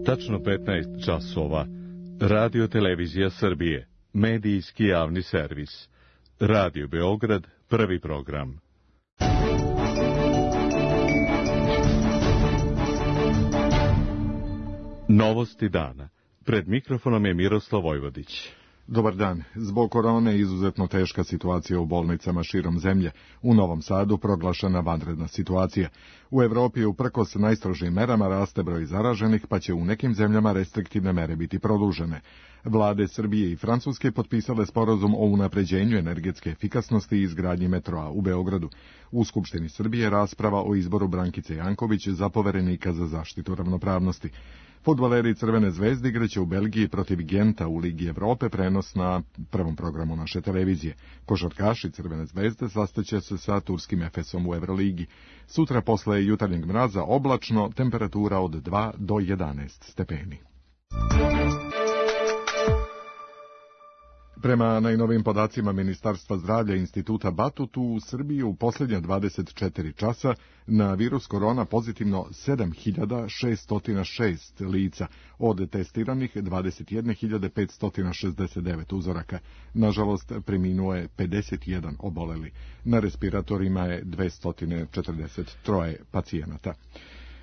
Tačno 15 časova. Radio Televizija Srbije. Medijski javni servis. Radio Beograd, prvi program. Novosti dana. Pred mikrofonom je Miroslav Vojvodić. Dobar dan. Zbog korone je izuzetno teška situacija u bolnicama širom zemlje. U Novom Sadu proglašena vanredna situacija. U Evropi uprkos najstrožijim merama raste broj zaraženih, pa će u nekim zemljama restriktivne mere biti produžene. Vlade Srbije i Francuske potpisale sporazum o unapređenju energetske efikasnosti i izgradnji metroa u Beogradu. U Skupštini Srbije rasprava o izboru Brankice Janković za poverenika za zaštitu ravnopravnosti. Fudbaleri Crvene zvezde igraće u Belgiji protiv Genta u Ligi Evrope, prenos na prvom programu naše televizije. Košarkaši Crvene zvezde sastaće se sa turskim Efesom u Evroligi. Sutra posle jutarnjeg mraza oblačno, temperatura od 2 do 11 stepeni. Prema najnovim podacima Ministarstva zdravlja Instituta Batut, u Srbiji u posljednja 24 časa na virus korona pozitivno 7.606 lica, od testiranih 21.569 uzoraka. Nažalost, preminuo je 51 oboleli. Na respiratorima je 243 pacijenata.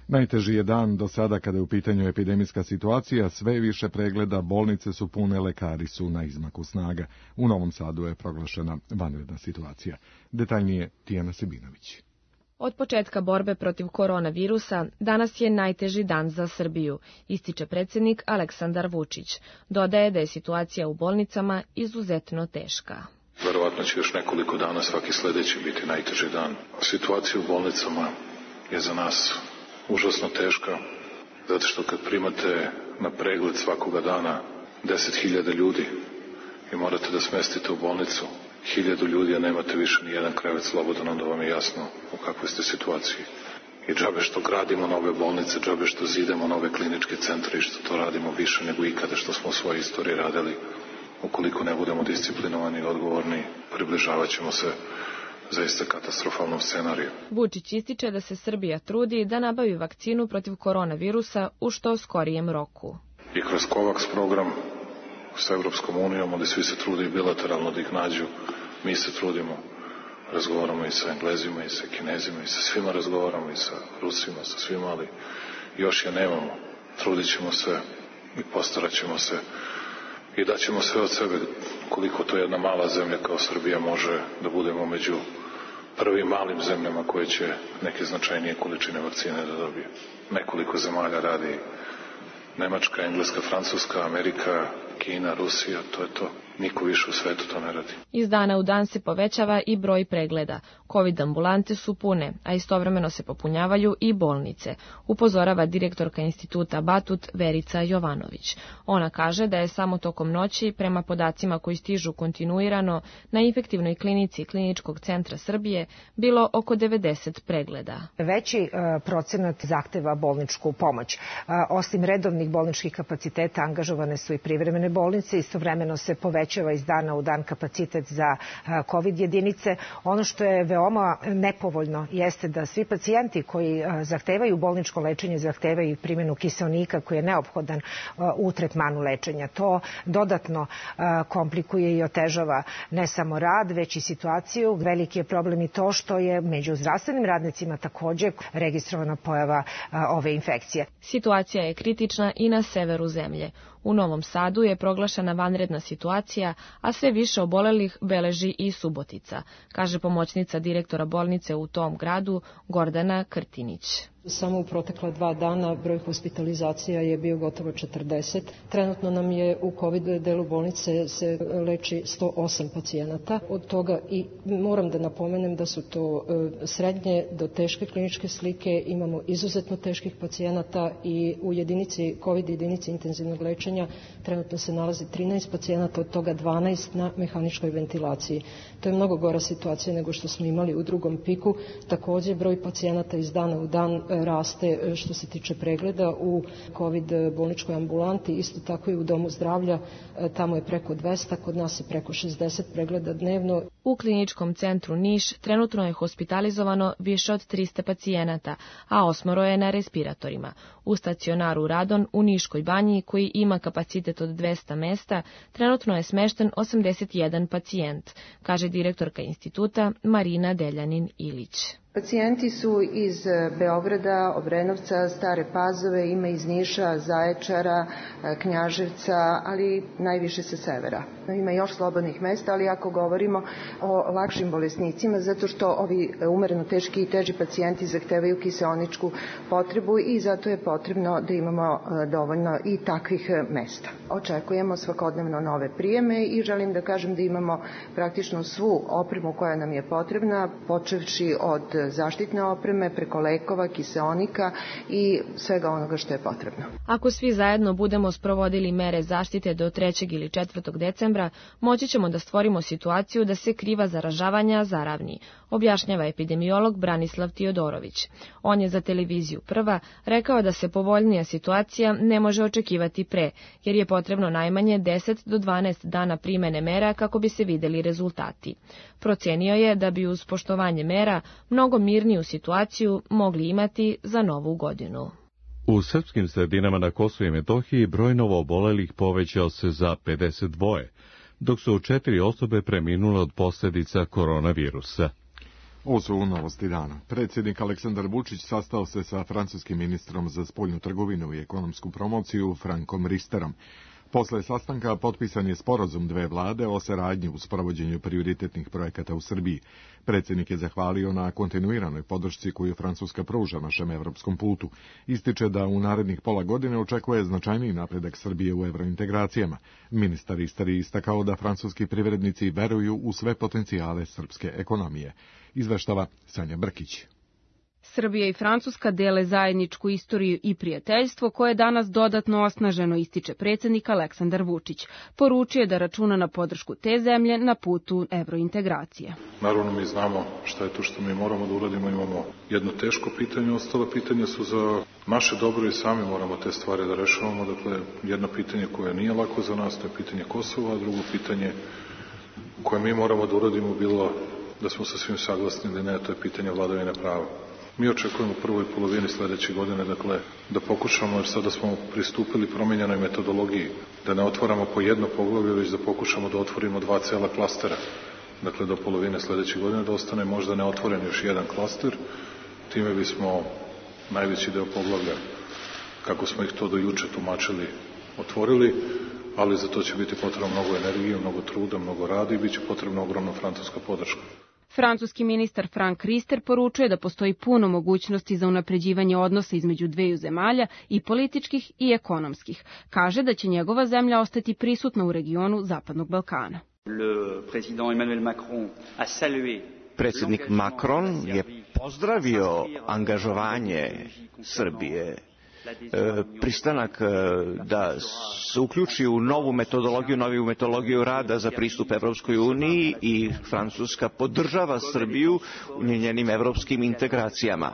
Najteži je dan do sada kada je u pitanju epidemijska situacija, sve više pregleda, bolnice su pune, lekari su na izmaku snaga. U Novom Sadu je proglašena vanredna situacija. Detaljnije Tijana Sebinović. Od početka borbe protiv koronavirusa danas je najteži dan za Srbiju, ističe predsjednik Aleksandar Vučić. Dodaje da je situacija u bolnicama izuzetno teška. Verovatno će još nekoliko dana svaki sljedeći biti najteži dan. Situacija u bolnicama je za nas užasno teška, zato što kad primate na pregled svakoga dana 10.000 ljudi i morate da smestite u bolnicu 1.000 ljudi, a nemate više ni jedan krevet slobodan, onda vam je jasno u kakvoj ste situaciji. I džabe što gradimo nove bolnice, džabe što zidamo nove kliničke centre i što to radimo više nego ikada što smo u svojoj istoriji radili. Ukoliko ne budemo disciplinovani i odgovorni, približavat ćemo se zaista katastrofalnom scenariju. Vučić ističe da se Srbija trudi da nabavi vakcinu protiv koronavirusa u što skorijem roku. I kroz COVAX program sa Evropskom unijom, ali svi se trude i bilateralno da ih nađu, mi se trudimo, razgovaramo i sa Englezima i sa Kinezima i sa svima razgovaramo i sa Rusima, sa svima, ali još je nemamo. Trudit ćemo se i postarat ćemo se i daćemo sve od sebe koliko to jedna mala zemlja kao Srbija može da budemo među prvim malim zemljama koje će neke značajnije količine vakcine da dobije. Nekoliko zemalja radi, Nemačka, Engleska, Francuska, Amerika, Kina, Rusija, to je to. Niko više u svetu to ne radi. Iz dana u dan se povećava i broj pregleda. COVID ambulante su pune, a istovremeno se popunjavaju i bolnice, upozorava direktorka Instituta Batut Verica Jovanović. Ona kaže da je samo tokom noći, prema podacima koji stižu kontinuirano, na infektivnoj klinici Kliničkog centra Srbije bilo oko 90 pregleda. Veći procenat zahteva bolničku pomoć. Osim redovnih bolničkih kapaciteta, angažovane su i privremene bolnice, istovremeno se povećava iz dana u dan kapacitet za COVID jedinice. Ono što je veoma nepovoljno jeste da svi pacijenti koji zahtevaju bolničko lečenje zahtevaju primjenu kiseonika koji je neophodan u tretmanu lečenja. To dodatno komplikuje i otežava ne samo rad, već i situaciju. Veliki je problem i to što je među zdravstvenim radnicima također registrovana pojava ove infekcije. Situacija je kritična i na severu zemlje. U Novom Sadu je proglašena vanredna situacija, a sve više obolelih beleži i Subotica, kaže pomoćnica direktora bolnice u tom gradu Gordana Krtinić. Samo u protekla 2 dana broj hospitalizacija je bio gotovo 40. Trenutno nam je u COVID delu bolnice se leči 108 pacijenata. Od toga i moram da napomenem da su to srednje do teške kliničke slike. Imamo izuzetno teških pacijenata i u jedinici COVID jedinici intenzivnog lečenja trenutno se nalazi 13 pacijenata, od toga 12 na mehaničkoj ventilaciji. To je mnogo gora situacija nego što smo imali u drugom piku. Također broj pacijenata iz dana u dan raste što se tiče pregleda u COVID bolničkoj ambulanti, isto tako i u domu zdravlja, tamo je preko 200, kod nas je preko 60 pregleda dnevno. U kliničkom centru Niš trenutno je hospitalizovano više od 300 pacijenata, a 8 je na respiratorima. U stacionaru Radon u Niškoj banji, koji ima kapacitet od 200 mesta, trenutno je smešten 81 pacijent, kaže direktorka instituta Marina Deljanin-Ilić. Pacijenti su iz Beograda, Obrenovca, Stare Pazove, ima iz Niša, Zaječara, Knjaževca, ali najviše sa severa. Ima još slobodnih mesta, ali ako govorimo o lakšim bolesnicima, zato što ovi umereno teški i teži pacijenti zahtevaju kiseoničku potrebu i zato je potrebno da imamo dovoljno i takvih mesta. Očekujemo svakodnevno nove prijeme i želim da kažem da imamo praktično svu opremu koja nam je potrebna, počevši od zaštitne opreme, preko lekova, kiseonika i svega onoga što je potrebno. Ako svi zajedno budemo sprovodili mere zaštite do 3. ili 4. decembra, moći ćemo da stvorimo situaciju da se kriva zaražavanja zaravni, objašnjava epidemiolog Branislav Tiodorović. On je za televiziju Prva rekao da se povoljnija situacija ne može očekivati pre, jer je potrebno najmanje 10 do 12 dana primene mera kako bi se videli rezultati. Procenio je da bi uz poštovanje mera mnogo mirniju situaciju mogli imati za Novu godinu. U srpskim sredinama na Kosovu i Metohiji broj novoobolelih povećao se za 52, dok su 4 osobe preminule od posljedica koronavirusa. Ovo su novosti dana. Predsjednik Aleksandar Vučić sastao se sa francuskim ministrom za spoljnu trgovinu i ekonomsku promociju Frankom Risterom. Posle sastanka potpisan je sporazum dve vlade o saradnji u sprovođenju prioritetnih projekata u Srbiji. Predsjednik je zahvalio na kontinuiranoj podršci koju Francuska pruža našem evropskom putu. Ističe da u narednih pola godine očekuje značajniji napredak Srbije u evrointegracijama. Ministar Rister je istakao da francuski privrednici veruju u sve potencijale srpske ekonomije. Izveštava Sanja Brkić. Srbija i Francuska dele zajedničku istoriju i prijateljstvo koje je danas dodatno osnaženo, ističe predsjednik Aleksandar Vučić. Poručio je da računa na podršku te zemlje na putu evrointegracije. Naravno mi znamo šta je to što mi moramo da uradimo, imamo jedno teško pitanje, ostala pitanja su za naše dobro i sami moramo te stvari da rešavamo. Dakle, jedno pitanje koje nije lako za nas, to je pitanje Kosova, a drugo pitanje koje mi moramo da uradimo bilo da smo sa svim saglasni ili ne, to je pitanje vladavine prava. Mi očekujemo u prvoj polovini sledeće godine, dakle, da pokušamo, jer sada smo pristupili promenjenoj metodologiji, da ne otvaramo po jedno poglavlje, već da pokušamo da otvorimo 2 cela klastera. Dakle, do polovine sledeće godine da ostane možda neotvoren još jedan klaster. Time bismo najveći deo poglavlja, kako smo ih to do juče tumačili, otvorili, ali za to će biti potrebno mnogo energije, mnogo truda, mnogo rada i bit će potrebna ogromna francuska podrška. Francuski ministar Frank Rister poručuje da postoji puno mogućnosti za unapređivanje odnosa između dveju zemalja i političkih i ekonomskih. Kaže da će njegova zemlja ostati prisutna u regionu Zapadnog Balkana. Predsjednik Macron je pozdravio angažovanje Srbije, pristanak da se uključi u noviju metodologiju rada za pristup Evropskoj uniji i Francuska podržava Srbiju u njenim evropskim integracijama.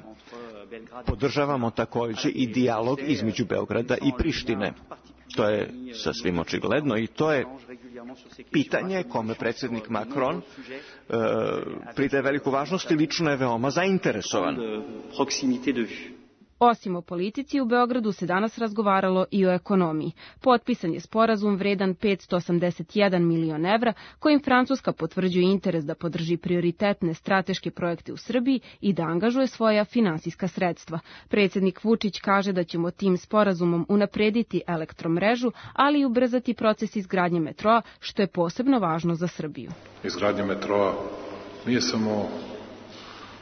Podržavamo također i dijalog između Beograda i Prištine. To je sasvim očigledno i to je pitanje kome predsjednik Macron pridaje veliku važnost i lično je veoma zainteresovan. Osim o politici, u Beogradu se danas razgovaralo i o ekonomiji. Potpisan je sporazum vredan 581 milion evra, kojim Francuska potvrđuje interes da podrži prioritetne strateške projekte u Srbiji i da angažuje svoja finansijska sredstva. Predsjednik Vučić kaže da ćemo tim sporazumom unaprediti elektromrežu, ali i ubrzati proces izgradnje metroa, što je posebno važno za Srbiju. Izgradnja metroa nije samo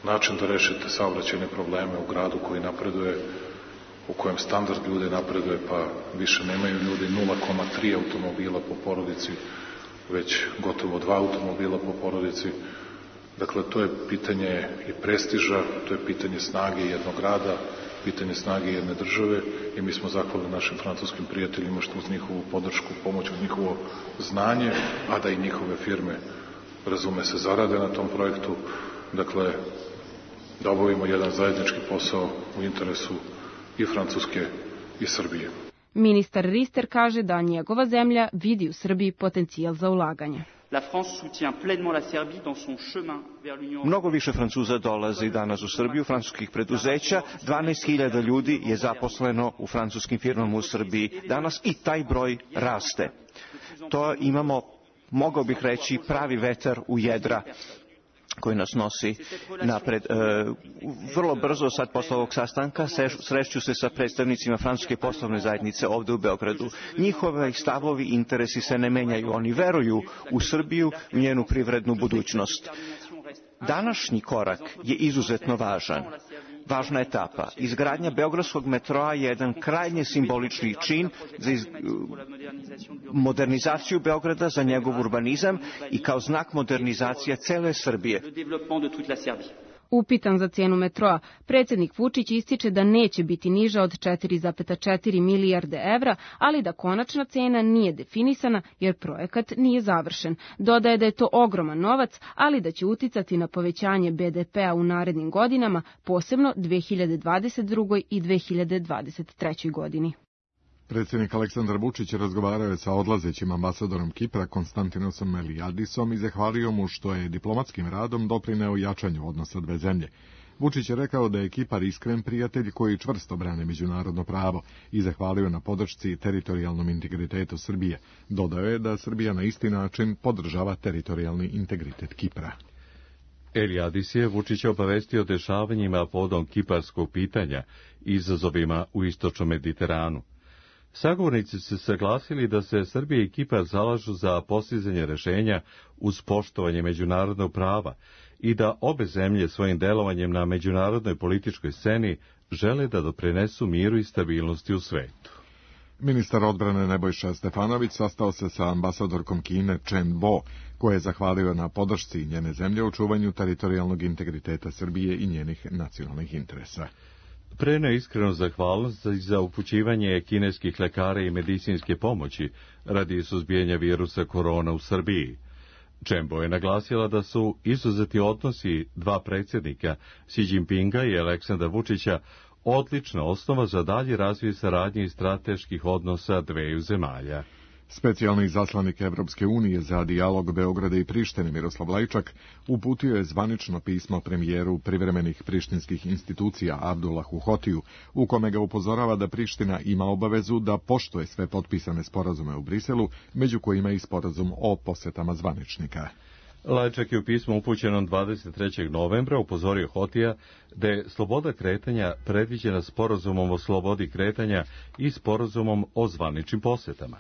način da rešite saobraćajne probleme u gradu koji napreduje, u kojem standard ljudi napreduje, pa više nemaju ljudi 0,3 automobila po porodici, već gotovo 2 automobila po porodici. Dakle, to je pitanje i prestiža, to je pitanje snage jednog grada, pitanje snage jedne države i mi smo zahvalni našim francuskim prijateljima što uz njihovu podršku, pomoć, uz njihovo znanje, a da i njihove firme, razume se, zarade na tom projektu. Dakle, da obavimo jedan zajednički posao u interesu i Francuske i Srbije. Ministar Rister kaže da njegova zemlja vidi u Srbiji potencijal za ulaganje. Mnogo više Francuza dolazi danas u Srbiju, francuskih preduzeća, 12.000 ljudi je zaposleno u francuskim firmama u Srbiji danas i taj broj raste. To imamo, mogao bih reći, pravi vetar u jedra koji nas nosi napred. Vrlo brzo, sad posle ovog sastanka, sreću se sa predstavnicima francuske poslovne zajednice ovde u Beogradu. Njihove stavovi i interesi se ne menjaju. Oni veruju u Srbiju, u njenu privrednu budućnost. Današnji korak je izuzetno važan. Važna etapa. Izgradnja beogradskog metroa je jedan krajnje simbolični čin za modernizaciju Beograda, za njegov urbanizam i kao znak modernizacija cele Srbije. Upitan za cijenu metroa, predsjednik Vučić ističe da neće biti niža od 4,4 milijarde evra, ali da konačna cena nije definisana jer projekat nije završen. Dodaje da je to ogroman novac, ali da će uticati na povećanje BDP-a u narednim godinama, posebno 2022. i 2023. godini. Predsjednik Aleksandar Vučić razgovarao je sa odlazećim ambasadorom Kipra Konstantinosom Meliadisom i zahvalio mu što je diplomatskim radom doprineo jačanju odnosa dve zemlje. Vučić je rekao da je Kipar iskren prijatelj koji čvrsto brane međunarodno pravo i zahvalio na podršci teritorijalnom integritetu Srbije. Dodao je da Srbija na isti način podržava teritorijalni integritet Kipra. Eliadis je Vučića obavestio o dešavanjima povodom kiparskog pitanja i izazovima u istočnom Mediteranu. Sagovornici su saglasili da se Srbija i Kipar zalažu za postizanje rešenja uz poštovanje međunarodnog prava i da obe zemlje svojim delovanjem na međunarodnoj političkoj sceni žele da doprinesu miru i stabilnosti u svetu. Ministar odbrane Nebojša Stefanović sastao se sa ambasadorkom Kine Chen Bo, koja je zahvalio na podršci njene zemlje u čuvanju teritorijalnog integriteta Srbije i njenih nacionalnih interesa. Preneo iskrenu zahvalnost za upućivanje kineskih lekara i medicinske pomoći radi suzbijanja virusa korona u Srbiji. Čembo je naglasila da su izuzeti odnosi dva predsjednika, Xi Jinpinga i Aleksandra Vučića, odlična osnova za dalji razvoj saradnje i strateških odnosa dveju zemalja. Specijalni izaslanik Evropske unije za dijalog Beograda i Prištine Miroslav Lajčak uputio je zvanično pismo premijeru privremenih prištinskih institucija Abdullahu Hotiju, u kome ga upozorava da Priština ima obavezu da poštuje sve potpisane sporazume u Briselu, među kojima i sporazum o posetama zvaničnika. Lajčak je u pismu upućenom 23. novembra upozorio Hotija da je sloboda kretanja predviđena sporazumom o slobodi kretanja i sporazumom o zvaničnim posetama.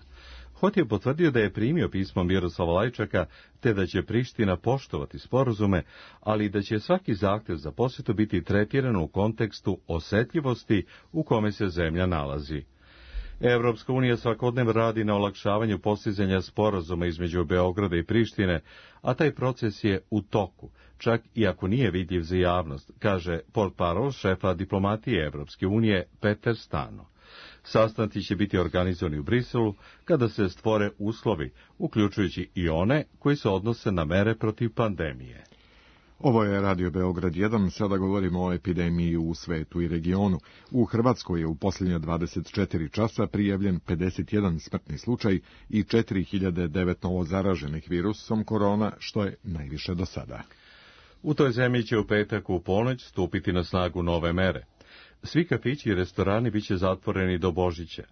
Hoti je potvrdio da je primio pismo Miroslava Lajčaka, te da će Priština poštovati sporazume, ali da će svaki zahtev za posjetu biti tretiran u kontekstu osetljivosti u kome se zemlja nalazi. Evropska unija svakodnevno radi na olakšavanju postizanja sporazuma između Beograda i Prištine, a taj proces je u toku, čak i ako nije vidljiv za javnost, kaže portparol šefa diplomatije Evropske unije Peter Stano. Sastanci će biti organizovani u Briselu kada se stvore uslovi, uključujući i one koji se odnose na mere protiv pandemije. Ovo je Radio Beograd 1, sada govorimo o epidemiji u svetu i regionu. U Hrvatskoj je u posljednja 24 časa prijavljen 51 smrtni slučaj i 4009 novo zaraženih virusom korona, što je najviše do sada. U toj zemlji će u petak u ponoć stupiti na snagu nove mere. Svi kafići i restorani biće zatvoreni do Božića.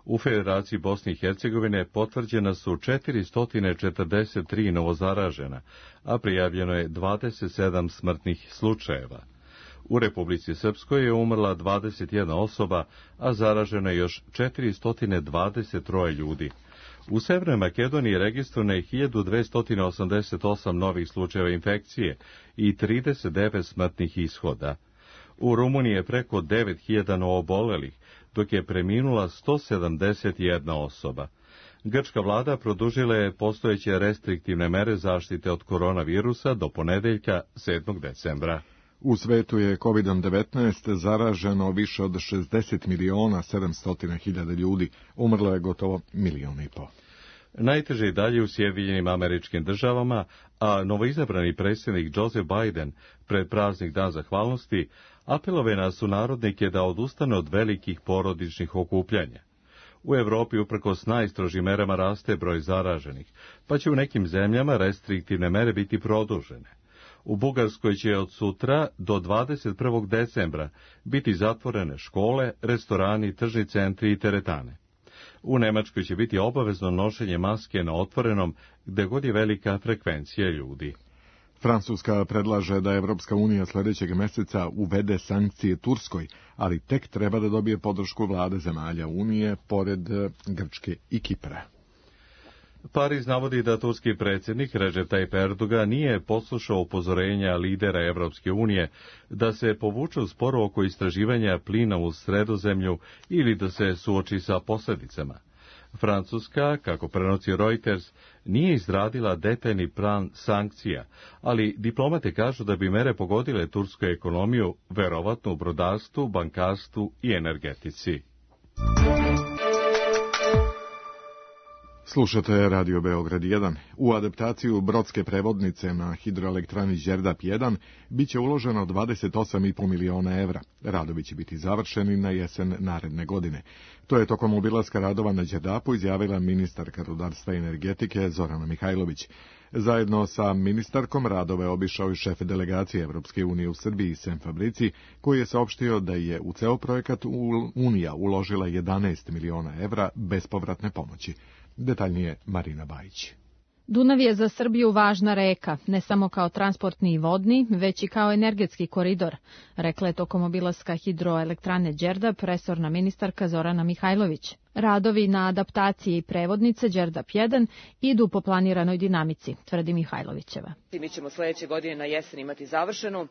U Federaciji Bosne i Hercegovine potvrđena su 443 novozaražena, a prijavljeno je 27 smrtnih slučajeva. U Republici Srpskoj je umrla 21 osoba, a zaraženo je još 423 ljudi. U Severnoj Makedoniji registrovano je 1288 novih slučajeva infekcije i 39 smrtnih ishoda. U Rumuniji je preko 9000 novoobolelih, dok je preminula 171 osoba. Grčka vlada produžila je postojeće restriktivne mere zaštite od koronavirusa do ponedeljka 7. decembra. U svetu je COVID-19 zaraženo više od 60.700.000 ljudi, umrlo je gotovo 1,5 miliona. Najteže je dalje u Sjedinjenim Američkim Državama, a novoizabrani predsjednik Joseph Biden pred praznik Dan zahvalnosti apelovao na sunarodnike da odustane od velikih porodičnih okupljanja. U Evropi uprkos najstrožim merama raste broj zaraženih, pa će u nekim zemljama restriktivne mere biti produžene. U Bugarskoj će od sutra do 21. decembra biti zatvorene škole, restorani, tržni centri i teretane. U Nemačkoj će biti obavezno nošenje maske na otvorenom, gde god je velika frekvencija ljudi. Francuska predlaže da Evropska unija sljedećeg meseca uvede sankcije Turskoj, ali tek treba da dobije podršku vlade zemalja Unije, pored Grčke i Kipra. Pariz navodi da turski predsjednik Recep Tayyip Erdogan nije poslušao upozorenja lidera Evropske unije da se povuče u sporo oko istraživanja plina u Sredozemlju ili da se suoči sa posljedicama. Francuska, kako prenosi Reuters, nije izradila detaljni plan sankcija, ali diplomate kažu da bi mere pogodile tursku ekonomiju, verovatno u brodarstvu, bankarstvu i energetici. Slušate Radio Beograd 1. U adaptaciju brodske prevodnice na hidroelektrani Đerdap 1 biće uloženo 28,5 miliona evra. Radovi će biti završeni na jesen naredne godine. To je tokom obilaska radova na Đerdapu izjavila ministarka rudarstva i energetike Zorana Mihajlović. Zajedno sa ministarkom radove obišao i šef delegacije Evropske unije u Srbiji Sem Fabrici, koji je saopštio da je u ceo projekat Unija uložila 11 miliona evra bespovratne pomoći. Detaljnije Marina Bajić. Dunav je za Srbiju važna reka, ne samo kao transportni i vodni, već i kao energetski koridor, rekla je tokom obilaska hidroelektrane Đerdap resorna ministarka Zorana Mihajlović. Radovi na adaptaciji prevodnice Đerdap 1 idu po planiranoj dinamici, tvrdi Mihajlovićeva. Mi ćemo sledeće godine na jesen imati završenu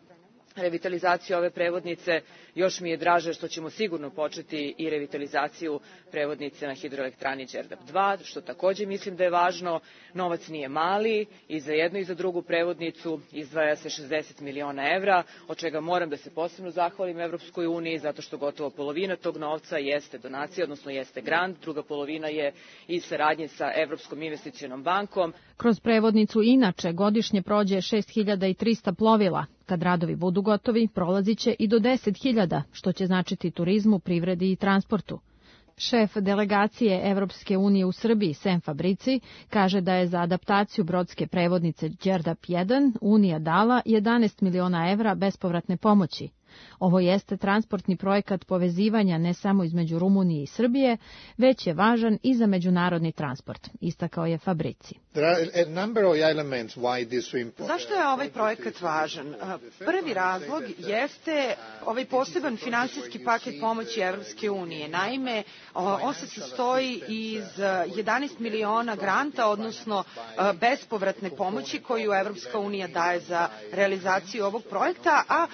revitalizaciju ove prevodnice. Još mi je draže što ćemo sigurno početi i revitalizaciju prevodnice na hidroelektrani Đerdap 2, što takođe mislim da je važno. Novac nije mali i za jednu i za drugu prevodnicu izdvaja se 60 miliona evra, od čega moram da se posebno zahvalim Evropskoj uniji, zato što gotovo polovina tog novca jeste donacija, odnosno jeste grant, druga polovina je iz saradnje sa Evropskom investicionom bankom. Kroz prevodnicu inače godišnje prođe 6300 plovila. Kad radovi budu gotovi, prolazit će i do 10.000, što će značiti turizmu, privredi i transportu. Šef delegacije Evropske unije u Srbiji, Sem Fabrici, kaže da je za adaptaciju brodske prevodnice Đerdap 1 Unija dala 11 miliona evra bespovratne pomoći. Ovo jeste transportni projekat povezivanja ne samo između Rumunije i Srbije, već je važan i za međunarodni transport, istakao je Fabrici. Zašto je ovaj projekat važan? Prvi razlog jeste ovaj poseban finansijski paket pomoći Evropske unije. Naime, on se sastoji iz 11 miliona granta, odnosno bespovratne pomoći koju Evropska unija daje za realizaciju ovog projekta, a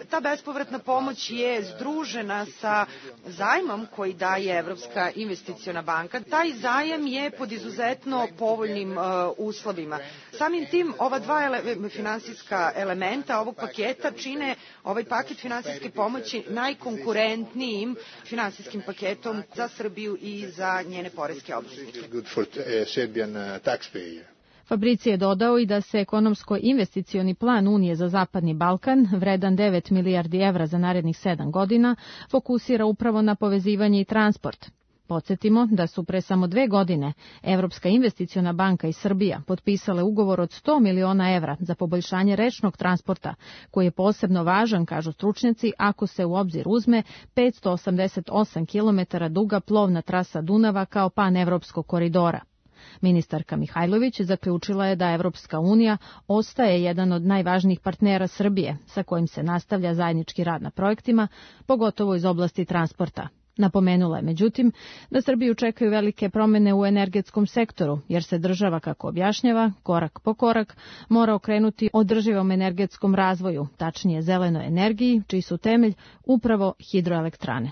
ta bespovratna pomoć je združena sa zajmom koji daje Evropska investiciona banka. Taj zajam je pod izuzetno povoljnim uslovima. Samim tim, ova dva finansijska elementa ovog paketa čine ovaj paket finansijske pomoći najkonkurentnijim finansijskim paketom za Srbiju i za njene poreske obveznike. Fabrici je dodao i da se ekonomsko-investicioni plan Unije za Zapadni Balkan, vredan 9 milijardi evra za narednih 7 godina, fokusira upravo na povezivanje i transport. Podsjetimo da su pre samo 2 godine Evropska investiciona banka i Srbija potpisale ugovor od 100 miliona evra za poboljšanje rečnog transporta, koji je posebno važan, kažu stručnjaci, ako se u obzir uzme 588 km duga plovna trasa Dunava kao panevropskog koridora. Ministarka Mihajlović zaključila je da Evropska unija ostaje jedan od najvažnijih partnera Srbije, sa kojim se nastavlja zajednički rad na projektima, pogotovo iz oblasti transporta. Napomenula je, međutim, da Srbiju čekaju velike promene u energetskom sektoru, jer se država, kako objašnjava, korak po korak mora okrenuti održivom energetskom razvoju, tačnije zelenoj energiji, čiji su temelj upravo hidroelektrane.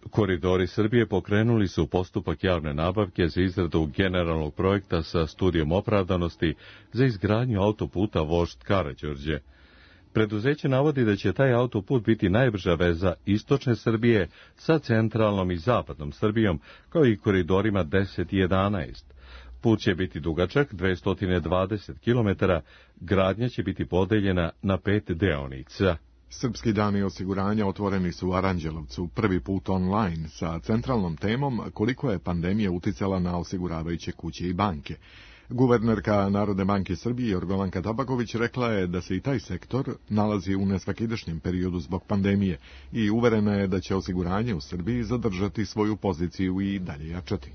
Koridori Srbije pokrenuli su postupak javne nabavke za izradu generalnog projekta sa studijom opravdanosti za izgradnju autoputa Vožd Karađorđe. Preduzeće navodi da će taj autoput biti najbrža veza istočne Srbije sa centralnom i zapadnom Srbijom, kao i koridorima 10 i 11. Put će biti dugačak 220 km, gradnja će biti podeljena na 5 deonica. Srpski dani osiguranja otvoreni su u Aranđelovcu prvi put online sa centralnom temom koliko je pandemija uticala na osiguravajuće kuće i banke. Guvernerka Narodne banke Srbije Jorgovanka Tabaković rekla je da se i taj sektor nalazi u nesvakidašnjem periodu zbog pandemije i uverena je da će osiguranje u Srbiji zadržati svoju poziciju i dalje jačati.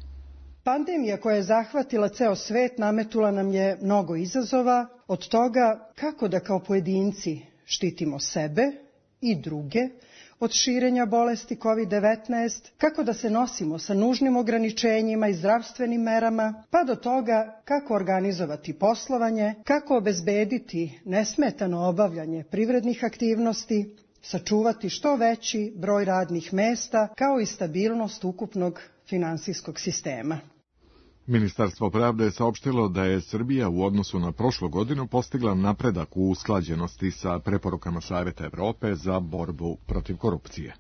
Pandemija koja je zahvatila ceo svet nametula nam je mnogo izazova, od toga kako da kao pojedinci štitimo sebe i druge od širenja bolesti COVID-19, kako da se nosimo sa nužnim ograničenjima i zdravstvenim merama, pa do toga kako organizovati poslovanje, kako obezbediti nesmetano obavljanje privrednih aktivnosti, sačuvati što veći broj radnih mesta, kao i stabilnost ukupnog finansijskog sistema. Ministarstvo pravde je saopštilo da je Srbija u odnosu na prošlu godinu postigla napredak u usklađenosti sa preporukama Saveta Evrope za borbu protiv korupcije.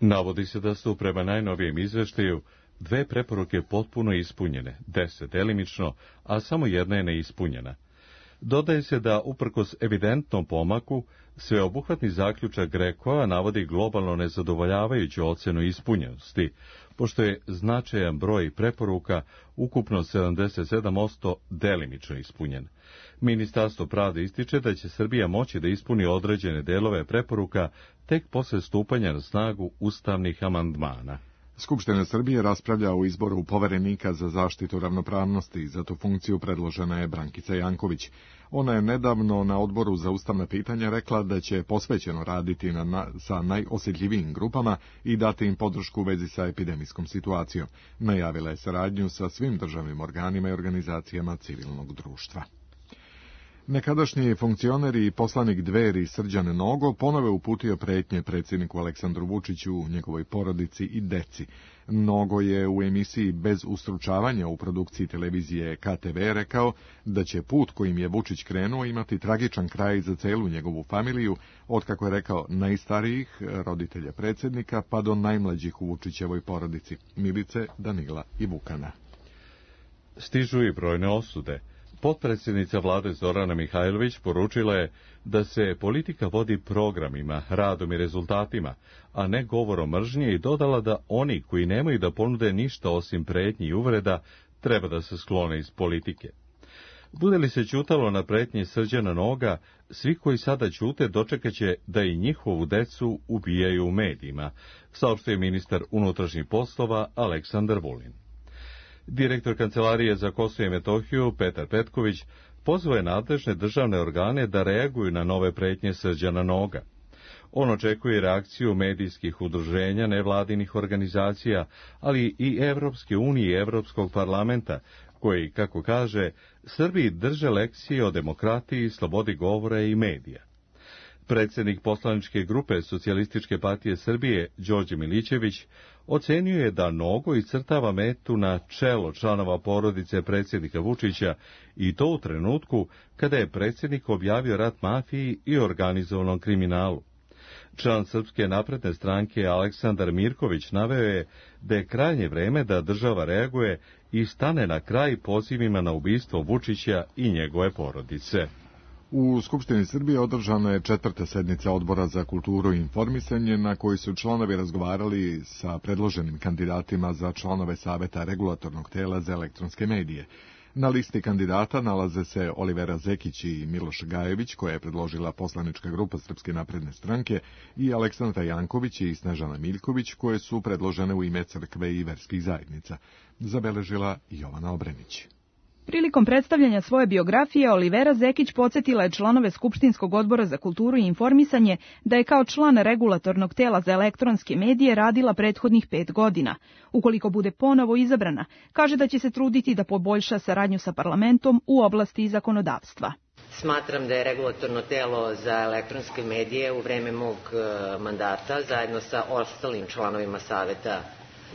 Navodi se da su prema najnovijem izveštaju 2 preporuke potpuno ispunjene, 10 delimično, a samo jedna je neispunjena. Dodaje se da, uprkos evidentnom pomaku, sveobuhvatni zaključak GRECO-a navodi globalno nezadovoljavajuću ocenu ispunjenosti, pošto je značajan broj preporuka, ukupno 77%, delimično ispunjen. Ministarstvo pravde ističe da će Srbija moći da ispuni određene delove preporuka tek posle stupanja na snagu ustavnih amandmana. Skupština Srbije raspravlja o izboru poverenika za zaštitu ravnopravnosti i za tu funkciju predložena je Brankica Janković. Ona je nedavno na Odboru za ustavna pitanja rekla da će posvećeno raditi sa najosjetljivijim grupama i dati im podršku u vezi sa epidemijskom situacijom. Najavila je saradnju sa svim državnim organima i organizacijama civilnog društva. Nekadašnji funkcioner i poslanik Dveri Srđan Nogo ponovo uputio pretnje predsjedniku Aleksandru Vučiću, njegovoj porodici i deci. Nogo je u emisiji Bez ustručavanja u produkciji televizije KTV rekao da će put kojim je Vučić krenuo imati tragičan kraj za celu njegovu familiju, od, kako je rekao, najstarijih roditelja predsjednika pa do najmlađih u Vučićevoj porodici, Milice, Danila i Vukana. Stižu i brojne osude. Potpredsjednica vlade Zorana Mihajlović poručila je da se politika vodi programima, radom i rezultatima, a ne govorom mržnje, i dodala da oni koji nemaju da ponude ništa osim pretnji i uvreda treba da se sklone iz politike. Bude li se ćutalo na pretnje Srđana Noga, svi koji sada ćute dočekaće da i njihovu decu ubijaju u medijima, saopštio je ministar unutrašnjih poslova Aleksandar Vulin. Direktor Kancelarije za Kosovo i Metohiju, Petar Petković, pozvao je nadležne državne organe da reaguju na nove pretnje Srđana Noga. On očekuje reakciju medijskih udruženja, nevladinih organizacija, ali i Evropske unije i Evropskog parlamenta, koji, kako kaže, Srbiji drže lekcije o demokratiji, slobodi govora i medija. Predsjednik poslaničke grupe Socijalističke partije Srbije, Đorđe Milićević, ocenio je da Nogo iscrtava metu na čelo članova porodice predsjednika Vučića, i to u trenutku kada je predsjednik objavio rat mafiji i organizovanom kriminalu. Član Srpske napredne stranke Aleksandar Mirković naveo je da je krajnje vreme da država reaguje i stane na kraj pozivima na ubistvo Vučića i njegove porodice. U Skupštini Srbije održana je 4. sednica Odbora za kulturu i informisanje, na kojoj su članovi razgovarali sa predloženim kandidatima za članove Saveta regulatornog tela za elektronske medije. Na listi kandidata nalaze se Olivera Zekić i Miloš Gajević, koja je predložila poslanička grupa Srpske napredne stranke, i Aleksandra Janković i Snežana Miljković, koje su predložene u ime crkve i verskih zajednica, zabeležila Jovana Obrenić. Prilikom predstavljanja svoje biografije, Olivera Zekić podsjetila je članove Skupštinskog odbora za kulturu i informisanje da je kao član regulatornog tela za elektronske medije radila prethodnih 5 godina. Ukoliko bude ponovo izabrana, kaže da će se truditi da poboljša saradnju sa parlamentom u oblasti zakonodavstva. Smatram da je regulatorno telo za elektronske medije u vreme mog mandata, zajedno sa ostalim članovima Saveta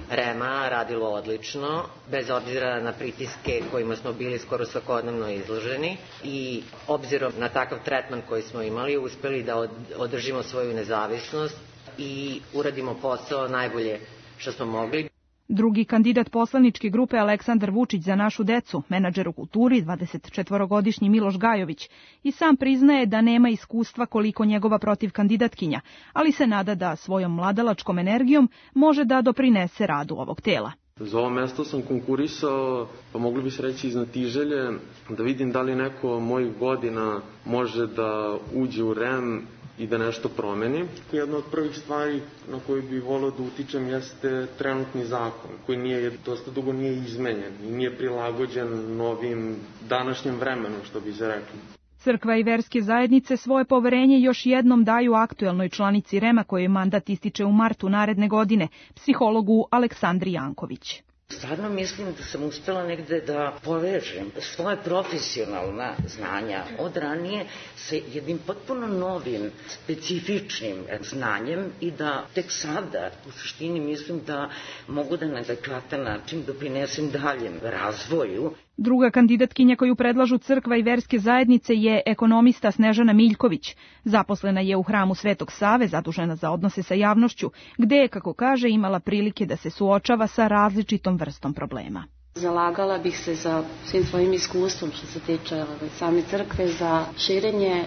REM-a, radilo odlično, bez obzira na pritiske kojima smo bili skoro svakodnevno izloženi, i obzirom na takav tretman koji smo imali, uspeli da održimo svoju nezavisnost i uradimo posao najbolje što smo mogli. Drugi kandidat poslaničke grupe Aleksandar Vučić za našu decu, menadžer u kulturi, 24-godišnji Miloš Gajović, i sam priznaje da nema iskustva koliko njegova protivkandidatkinja, ali se nada da svojom mladalačkom energijom može da doprinese radu ovog tela. Za ovo mesto sam konkurisao, pa mogli bi se reći iznatiželje, da vidim da li neko mojih godina može da uđe u REM i da nešto promeni. Jedna od prvih stvari na koju bih volio da utičem jeste trenutni zakon, koji dosta dugo nije izmenjen i nije prilagođen novim današnjem vremenu, što bi se rekli. Crkva i verske zajednice svoje poverenje još jednom daju aktuelnoj članici REM-a kojoj mandat ističe u martu naredne godine, psihologu Aleksandri Janković. Stvarno mislim da sam uspela negde da povežem svoje profesionalna znanja od ranije sa jednim potpuno novim, specifičnim znanjem i da tek sada u suštini mislim da mogu da na adekvatan način doprinesem daljem razvoju. Druga kandidatkinja koju predlažu crkva i verske zajednice je ekonomista Snežana Miljković. Zaposlena je u hramu Svetog Save, zadužena za odnose sa javnošću, gde je, kako kaže, imala prilike da se suočava sa različitom vrstom problema. Zalagala bih se za svim svojim iskustvom što se tiče same crkve, za širenje,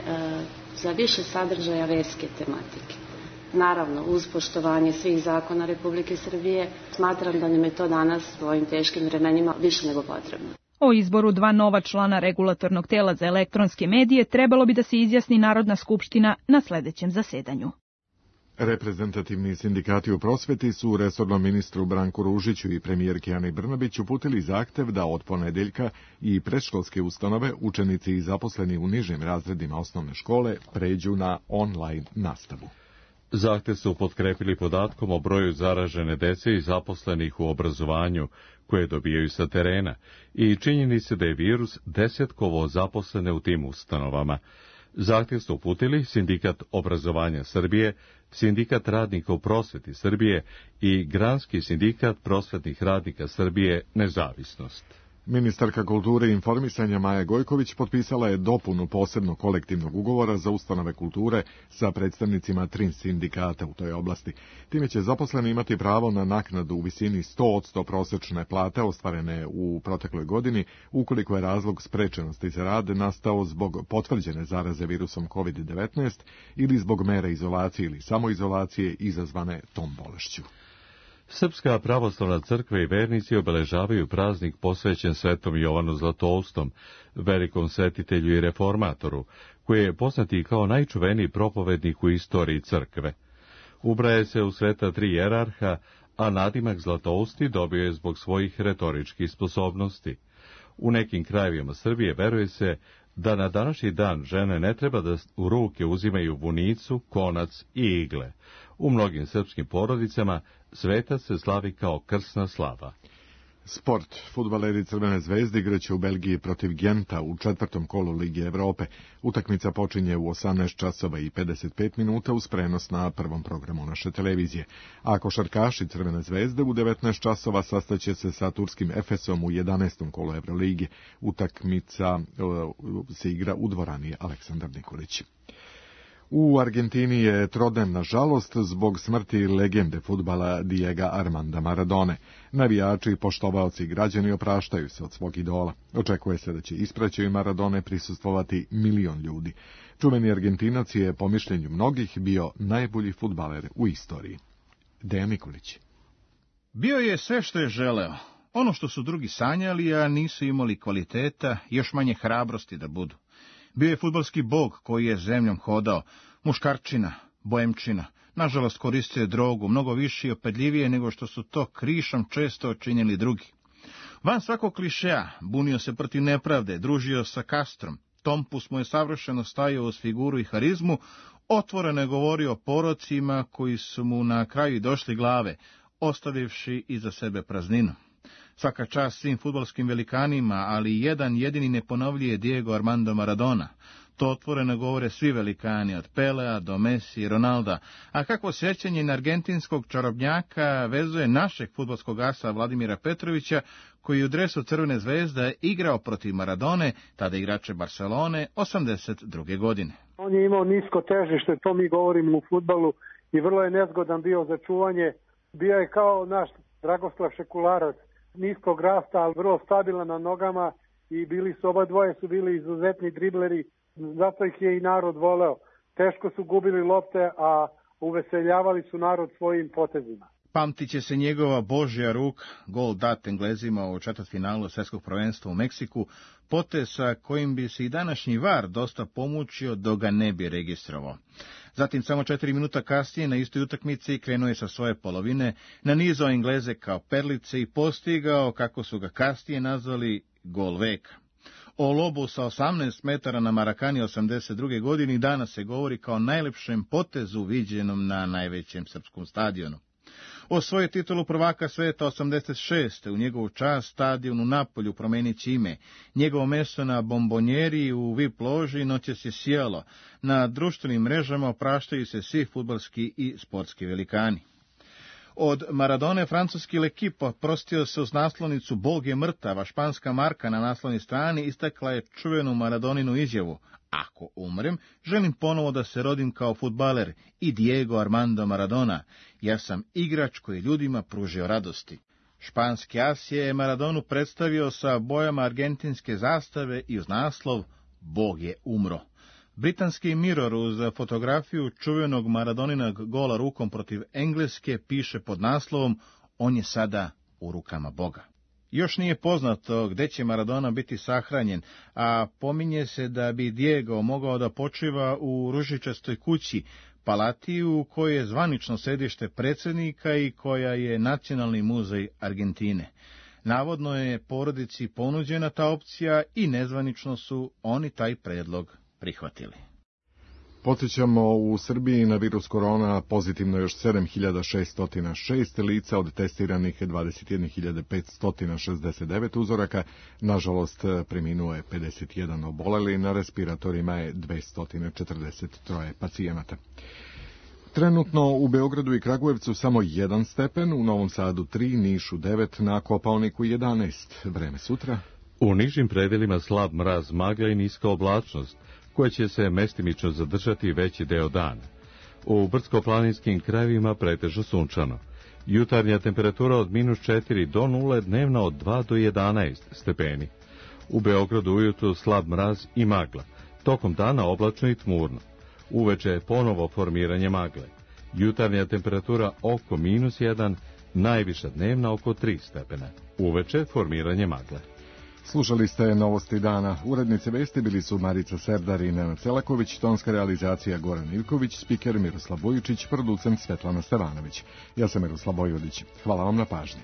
za više sadržaja verske tematike. Naravno, uz poštovanje svih zakona Republike Srbije, smatram da nam je to danas u ovim teškim vremenima više nego potrebno. O izboru dva nova člana regulatornog tela za elektronske medije trebalo bi da se izjasni Narodna skupština na sledećem zasedanju. Reprezentativni sindikati u prosveti su resornom ministru Branku Ružiću i premijerki Ani Brnabić uputili zahtev da od ponedeljka i predškolske ustanove, učenici i zaposleni u nižim razredima osnovne škole pređu na online nastavu. Zahtev su potkrepili podatkom o broju zaražene dece i zaposlenih u obrazovanju koje dobijaju sa terena i činjenice da je virus desetkovao zaposlene u tim ustanovama. Zahtev su uputili Sindikat obrazovanja Srbije, Sindikat radnika u prosveti Srbije i Granski sindikat prosvetnih radnika Srbije Nezavisnost. Ministarka kulture i informisanja Maja Gojković potpisala je dopunu posebnog kolektivnog ugovora za ustanove kulture sa predstavnicima 3 sindikata u toj oblasti. Time će zaposleni imati pravo na naknadu u visini 100% prosečne plate ostvarene u protekloj godini, ukoliko je razlog sprečenosti za rad nastao zbog potvrđene zaraze virusom COVID-19 ili zbog mera izolacije ili samoizolacije izazvane tom bolešću. Srpska pravoslavna crkva i vernici obeležavaju praznik posvećen Svetom Jovanu Zlatoustom, velikom svetitelju i reformatoru, koji je poznati kao najčuveniji propovednik u istoriji crkve. Ubraje se u sveta 3 jerarha, a nadimak Zlatousti dobio je zbog svojih retoričkih sposobnosti. U nekim krajevima Srbije veruje se da na današnji dan žene ne treba da u ruke uzimaju vunicu, konac i igle. U mnogim srpskim porodicama svetac se slavi kao krsna slava. Sport. Fudbaleri Crvene zvezde igraće u Belgiji protiv Genta u 4. kolu Lige Evrope. Utakmica počinje u 18 časova i 55 minuta uz prenos na prvom programu naše televizije. A košarkaši Crvene zvezde u 19 časova sastaće se sa turskim Efesom u 11. kolu Evrolige. Utakmica se igra u dvorani Aleksandar Nikolić. U Argentini je trodnevna žalost zbog smrti legende fudbala Diego Armanda Maradone. Navijači, poštovaoci i građani opraštaju se od svog idola. Očekuje se da će ispraćaju Maradone prisustvovati 1 milion ljudi. Čuveni Argentinac je, po mišljenju mnogih, bio najbolji fudbaler u istoriji. Dejan Nikolić. Bio je sve što je želeo. Ono što su drugi sanjali, a nisu imali kvaliteta, još manje hrabrosti da budu. Bio je fudbalski bog koji je zemljom hodao, muškarčina, boemčina. Nažalost, koristio je drogu, mnogo više i opedljivije nego što su to krišom često činili drugi. Van svakog klišeja, bunio se protiv nepravde, družio sa Castrom. Tompus mu je savršeno stajao uz figuru i harizmu, otvoreno je govorio o porocima koji su mu na kraju došli glave, ostavivši iza sebe prazninu. Svaka čast svim fudbalskim velikanima, ali jedan jedini ne ponovljuje Diego Armando Maradona. To otvoreno govore svi velikani, od Pelea do Messi i Ronalda. A kako sjećanje na argentinskog čarobnjaka vezuje našeg fudbalskog asa Vladimira Petrovića, koji u dresu Crvene zvezde igrao protiv Maradone, tada igrače Barcelone, 82. godine. On je imao nisko težište, to mi govorimo u fudbalu, i vrlo je nezgodan bio za čuvanje. Bio je kao naš Dragoslav Šekularac, niskog rasta, ali vrlo stabilan na nogama i oba dvoje su bili izuzetni dribleri, zato ih je i narod voleo. Teško su gubili lopte, a uveseljavali su narod svojim potezima. Pamtit će se njegova Božja ruka, gol dat Englezima u četvrtfinalu svjetskog prvenstva u Meksiku, potez sa kojim bi se i današnji VAR dosta pomučio dok ga ne bi registrovao. Zatim, samo 4 minuta kasnije, na istoj utakmici krenuo je sa svoje polovine, nanizao Engleze kao perlice i postigao, kako su ga kasnije nazvali, gol veka. O lobu sa 18 metara na Marakani 82. godini danas se govori kao najlepšem potezu viđenom na najvećem srpskom stadionu. Osvojio titulu prvaka sveta 86. u njegovu čast stadion u Napolju promenići ime. Njegovo mesto na bombonjeri u VIP loži noćas je sjelo. Na društvenim mrežama opraštaju se svi fudbalski i sportski velikani. Od Maradone francuski L'Equipe oprostio se uz naslovnicu Bog je mrtav, a španska marka na naslovnoj strani istakla je čuvenu Maradoninu izjavu: ako umrem, želim ponovo da se rodim kao fudbaler i Diego Armando Maradona. Ja sam igrač koji ljudima pružio radosti. Španski as je Maradonu predstavio sa bojama argentinske zastave i uz naslov Bog je umro. Britanski Mirror uz fotografiju čuvenog Maradoninog gola rukom protiv Engleske piše pod naslovom On je sada u rukama Boga. Još nije poznato gde će Maradona biti sahranjen, a pominje se da bi Diego mogao da počiva u ružičastoj kući, palati u kojoj je zvanično sedište predsjednika i koja je nacionalni muzej Argentine. Navodno je porodici ponuđena ta opcija i nezvanično su oni taj predlog prihvatili. Podsjećamo, u Srbiji na virus korona pozitivno još 7606 lica od testiranih 21.569 uzoraka. Nažalost, preminuo je 51 oboleli, na respiratorima je 243 pacijenata. Trenutno u Beogradu i Kragujevcu samo 1 stepen, u Novom Sadu 3, Nišu 9, na Kopaoniku 11. Vreme sutra. U nižim predelima slab mraz, magla i niska oblačnost, koja će se mestimično zadržati veći deo dana. U brdsko-planinskim krajevima pretežno sunčano. Jutarnja temperatura od -4 do 0, dnevna od 2 do 11 stepeni. U Beogradu ujutru slab mraz i magla. Tokom dana oblačno i tmurno. Uveče ponovo formiranje magle. Jutarnja temperatura oko -1, najviša dnevna oko 3 stepena. Uveče formiranje magle. Slušali ste Novosti dana. Urednice vesti bili su Marica Serdar i Nenad Selaković, tonska realizacija Goran Ivković, spiker Miroslav Bojičić, producent Svetlana Stevanović. Ja sam Miroslav Bojvodić. Hvala vam na pažnji.